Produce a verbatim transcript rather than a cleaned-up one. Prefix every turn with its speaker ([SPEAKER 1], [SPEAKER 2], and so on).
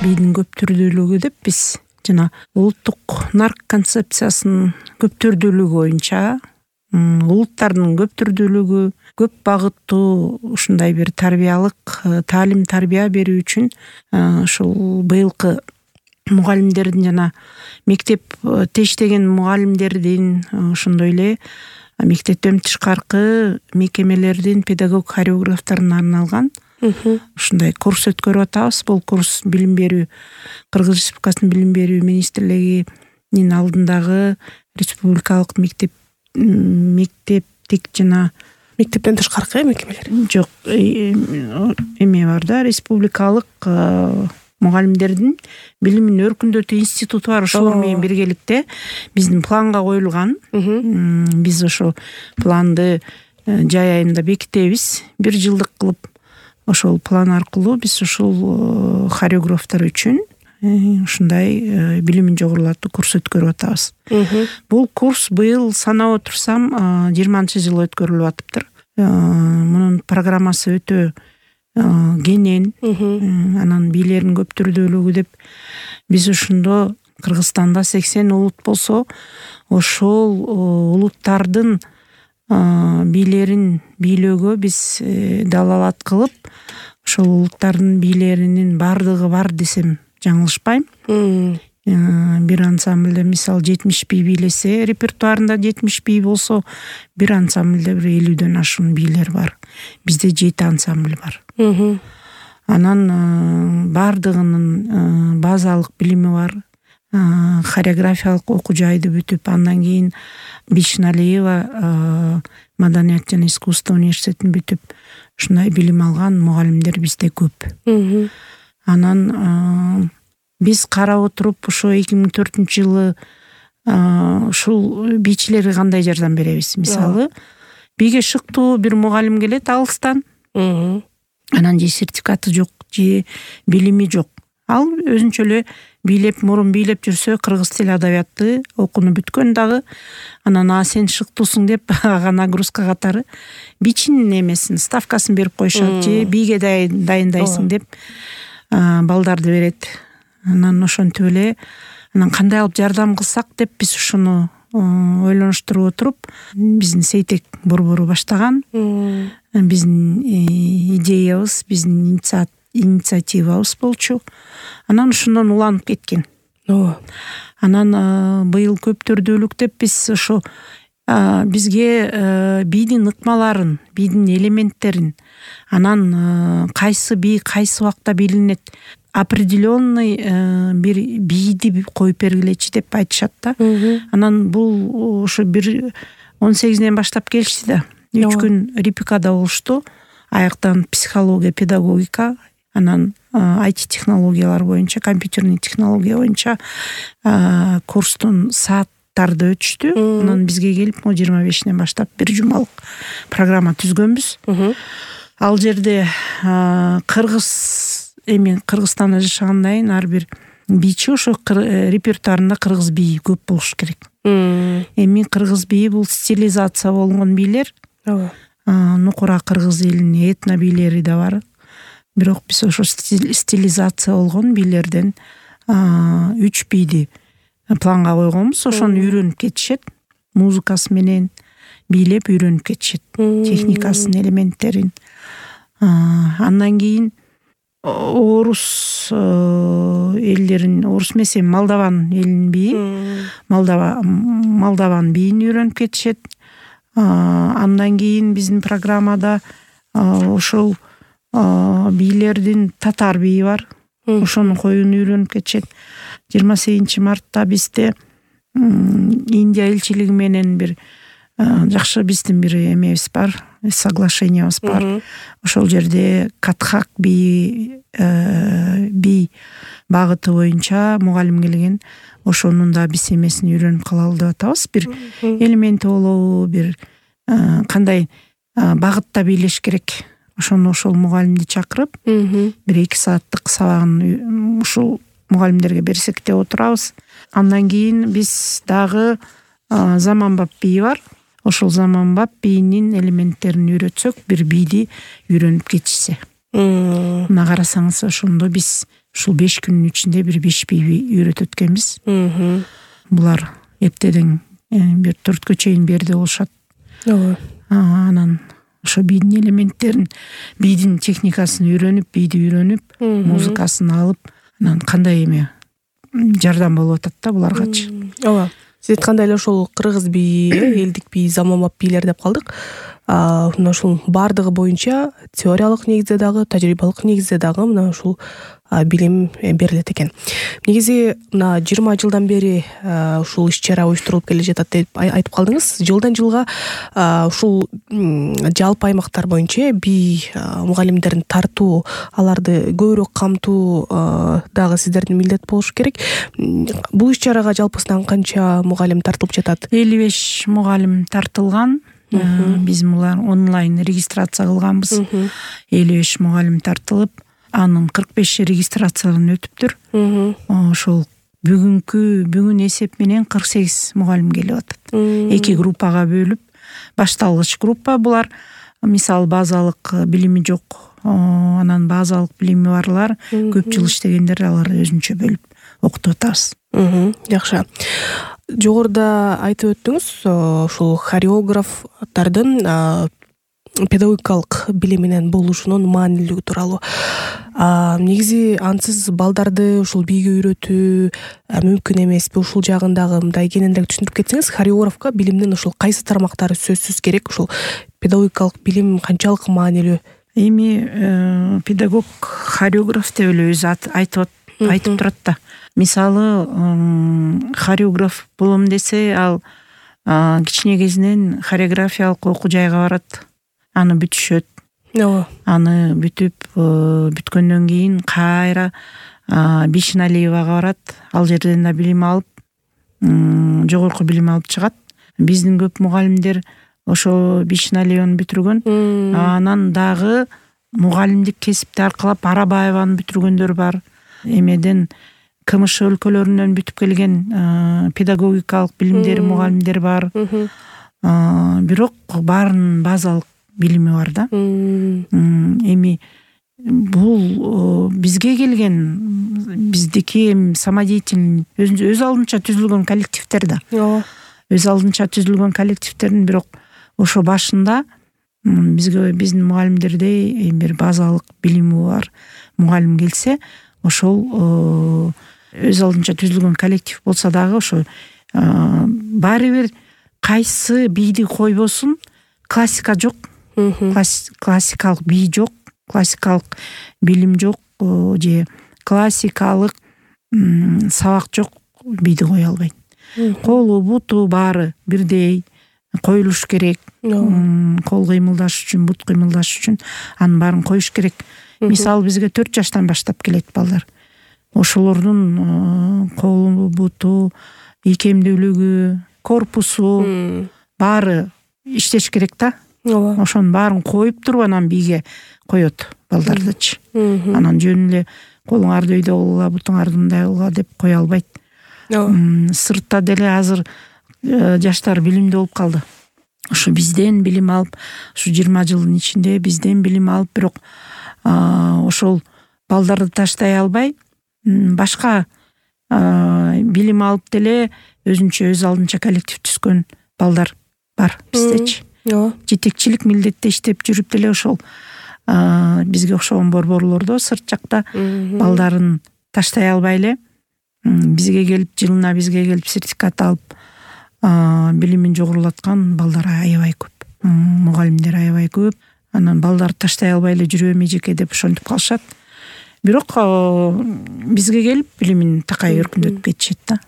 [SPEAKER 1] бийдин көптүрдүүлүгү деп биз жана улуттук нарк концепциясынын көптүрдүүлүгү боюнча улуттардын көптүрдүүлүгү көп багыттуу ушундай бир тарбиялык таалим тарбия берүү үчүн ушул быйылкы мугалимдердин жана мектеп тештеген мугалимдердин ошондой эле мектептен тышкаркы мекемелердин педагог хореографтарына арналган ушундай курс өткөрүп атабыз. Бул курс билим берүү Кыргыз Республикасынын билим берүү министрлигинин алдындагы республикалык мектеп мектептик жана
[SPEAKER 2] мектептен тышкаркы мекемелер
[SPEAKER 1] жок эме бар да, республикалык мугалимдердин билимин өркүндөтүү институту бар. Ошолор менен биргеликте биздин планга коюлган. Биз ошо планды жай айында бекитебиз. Бир жылдык кылып ошол план аркылуу биз ушул хореографтар үчүн ушундай билимин жогорулатуу курс өткөрүп атабыз. Бул курс быйыл санап отурсам жыйырманчы жыл өткөрүлүп атыптыр. Мунун программасы өтө кенен, анан бийлердин көптүрдүүлүгү деп биз ушундо Кыргызстанда сексен улут болсо, ошол улуттардын бийлерин бийлөөгө биз далалат кылып, ошол улуттардын бийлеринин бардыгы бар десем жаңылышпайм. Бир ансамблде мисалы жетимиш бий бийлесе, репертуарында жетимиш бий болсо, бир ансамблде бир элүүдөн ашуун бийлер бар. Бизде жети ансамбль бар. Анан бардыгынын базалык билими бар. Хореографиялык окуу жайды бүтүп, андан кийин Бишналиева Маданият жана искусство университетин бүтүп, ушундай билим алган мугалимдер бизде көп. Анан биз карап отуруп ошо эки миң төртүнчү жылы ушул бийчилерге кандай жардам беребиз? Мисалы, бийге шыктуу бир мугалим келет алыстан. Анан же сертификаты жок, же билими жок. Ал өзүнчө эле бийлеп, мурун бийлеп жүрсө, кыргыз тил адабияты окууну бүткөн дагы. Анан а сен шыктуусуң деп ага нагрузка катары бичинин эмесин, ставкасын берип коюшат, же бийге дайындайсың деп балдарды берет. Анан ошентип эле анан кандай алып жардам кылсак деп биз ушуну ойлонуштуруп отуруп, биздин Сейтек борбору баштаган. Биздин идеябыз, биздин инициативабыз болчу. Анан ошондон уланып кеткен. Анан быйыл көптүрдүүлүк деп биз ошо бизге бийдин ыкмаларын, бийдин элементтерин, анан кайсы бий кайсы убакта билинет, определенный бир бийди коюп бергилечи деп айтышат да. Анан бул ошо бир он сегизинен баштап келишти да. Үч күн репикада болушту. Аяктан психология, педагогика, анан ай ти технологиялар боюнча, компьютерный технология боюнча курстун сааттарды өтүштү. Анан бизге келип, мо жыйырма бешинен баштап бир жумалык программа түзгөнбүз. Ал жерде кыргыз эми Кыргызстанда жашагандан ар бир бийчи ошо репертуарында кыргыз бийи көп болуш керек. Эми кыргыз бийи бул стилизация болгон бийлер. Нукура кыргыз элинин этно бийлери да бар. Бирок биз ошо стилизация болгон бийлерден үч бийди планга койгонбуз. Ошону үйрөнүп кетишет. Музыкасы менен бийлеп үйрөнүп кетишет. Техникасын, элементтерин. Андан кийин орус элдерин, орус эмес, Молдован элинин бийи, Молдова Молдован бийин үйрөнүп кетишет. Андан кийин биздин программада ошол бийлердин татар бийи бар. Ошону коюуну үйрөнүп кетишет. жыйырма сегизинчи мартта бизде Индия элчилиги менен бир жакшы биздин бир эмебиз бар, соглашениябыз бар. Ошол жерде Катхак бийи бий багыты боюнча мугалим келген. Ошонун да биз эмесин үйрөнүп калалы деп атабыз. Бир элементи болобу, бир кандай багытта бийлеш керек. Ошону ошол мугалимди чакырып, бир эки сааттык сабагын ушул мугалимдерге берсек деп отурабыз. Андан кийин биз дагы заманбап бийи бар. Ошол заманбап бийинин элементтерин үйрөтсөк, бир бийди үйрөнүп кетишсе. Мына карасаңыз, ошондо биз ушул беш күнүн ичинде бир беш бийби үйрөтөт экенбиз. Булар эптеден бир төрткө чейин берде болушат.
[SPEAKER 2] Ооба.
[SPEAKER 1] Анан ошо бийдин элементтерин, бийдин техникасын үйрөнүп, бийди үйрөнүп, музыкасын алып, анан кандай эме жардам болуп атат да буларгачы.
[SPEAKER 2] Ооба. Сиз айткандай эле ошол кыргыз бийи, элдик бий, заманбап бийлер деп калдык. Мына ушул баардыгы боюнча теориялык негизде дагы, тажрыйбалык негизде дагы мына ушул билим берилет экен. Негизи мына жыйырма жылдан бери ушул иш-чара уюштурулуп келе жатат деп айтып калдыңыз. Жылдан жылга ушул жалпы аймактар боюнча бий мугалимдерин тартуу, аларды көбүрөөк камтуу дагы сиздердин милдет болушу керек. Бул иш-чарага жалпысынан канча мугалим тартылып жатат?
[SPEAKER 1] элүү беш мугалим тартылган. Биз мулар онлайн регистрация кылганбыз. элүү беш мугалим тартылып, анын кырк беши регистрациядан өтүптүр. Ошол бүгүнкү бүгүн эсеп менен кырк сегиз мугалим келип атат. Эки группага бөлүп, башталгыч группа булар, мисалы базалык билими жок, анан базалык билими барлар, көп жыл иштегендер, алар өзүнчө бөлүп окутуп атабыз.
[SPEAKER 2] Жакшы. Жогоруда айтып өттүңүз, ушул хореографтардын педагогикалык билиминен болушунун маанилүүлүгү тууралуу. Негизи ансыз балдарды ушул бийге үйрөтүү мүмкүн эмеспи? Ушул жагын дагы мындай кененирээк түшүндүрүп кетсеңиз, хореографка билимдин ушул кайсы тармактары сөзсүз керек? Ушул педагогикалык билим канчалык маанилүү?
[SPEAKER 1] Эми педагог хореограф деп эле өзү айтып айтып турат да. Мисалы, хореограф болом десе, ал кичине кезинен хореографиялык окуу жайга барат, аны бүтүшөт. Аны бүтүп бүткөндөн кийин кайра Бишналиевага барат, ал жерден да билим алып, жогорку билим алып чыгат. Биздин көп мугалимдер ошо Бишналиеваны бүтүргөн, анан дагы мугалимдик кесипти аркылап Арабаеваны бүтүргөндөр бар. Эмеден КМШ өлкөлөрүнөн бүтүп келген педагогикалык билимдер, мугалимдер бар. Бирок баарынын базалык билими бар да. Эми бул бизге келген, биздики самодеятельный өз алдынча түзүлгөн коллективдер да. Өз алдынча түзүлгөн коллективдердин, бирок ошо башында бизге биздин мугалимдердей бир базалык билими бар мугалим келсе, ошол өз алдынча түзүлгөн коллектив болсо дагы ошо баары бир кайсы бийди койбосун, классика жок, классикалык бий жок, классикалык билим жок, же классикалык сабак жок, бийди кое албайт. Колу, буту баары бирдей коюлуш керек. Кол кыймылдаш үчүн, бут кыймылдаш үчүн анын баарын коюш керек. Мисалы бизге төрт жаштан баштап келет балдар. Ошолордун колу, буту, ийкемдүүлүгү, корпусу баары иштеш керек да. Ошонун баарын коюп туруп анан бийге коет балдардычы. Анан жөн эле колуңарды өйдө кылгыла, бутуңарды мындай кылгыла деп кое албайт. Сыртта деле азыр жаштар билимдүү болуп калды. Ошо бизден билим алып, ушу жыйырма жылдын ичинде бизден билим алып, бирок ошол балдарды таштай албай, башка билим алып деле өзүнчө өз алдынча коллектив түзгөн балдар бар биздечи. Жетекчилик милдетте иштеп жүрүп деле ошол бизге окшогон борборлордо сырт жакта балдарын таштай албай эле бизге келип, жылына бизге келип сертификат алып билимин жогорулаткан балдар аябай көп. Мугалимдер аябай көп. Анан балдарды таштай албай эле жүрөм эжеке деп ошентип калышат. Бирок бизге келип билимин такай өркүндөтүп кетишет да.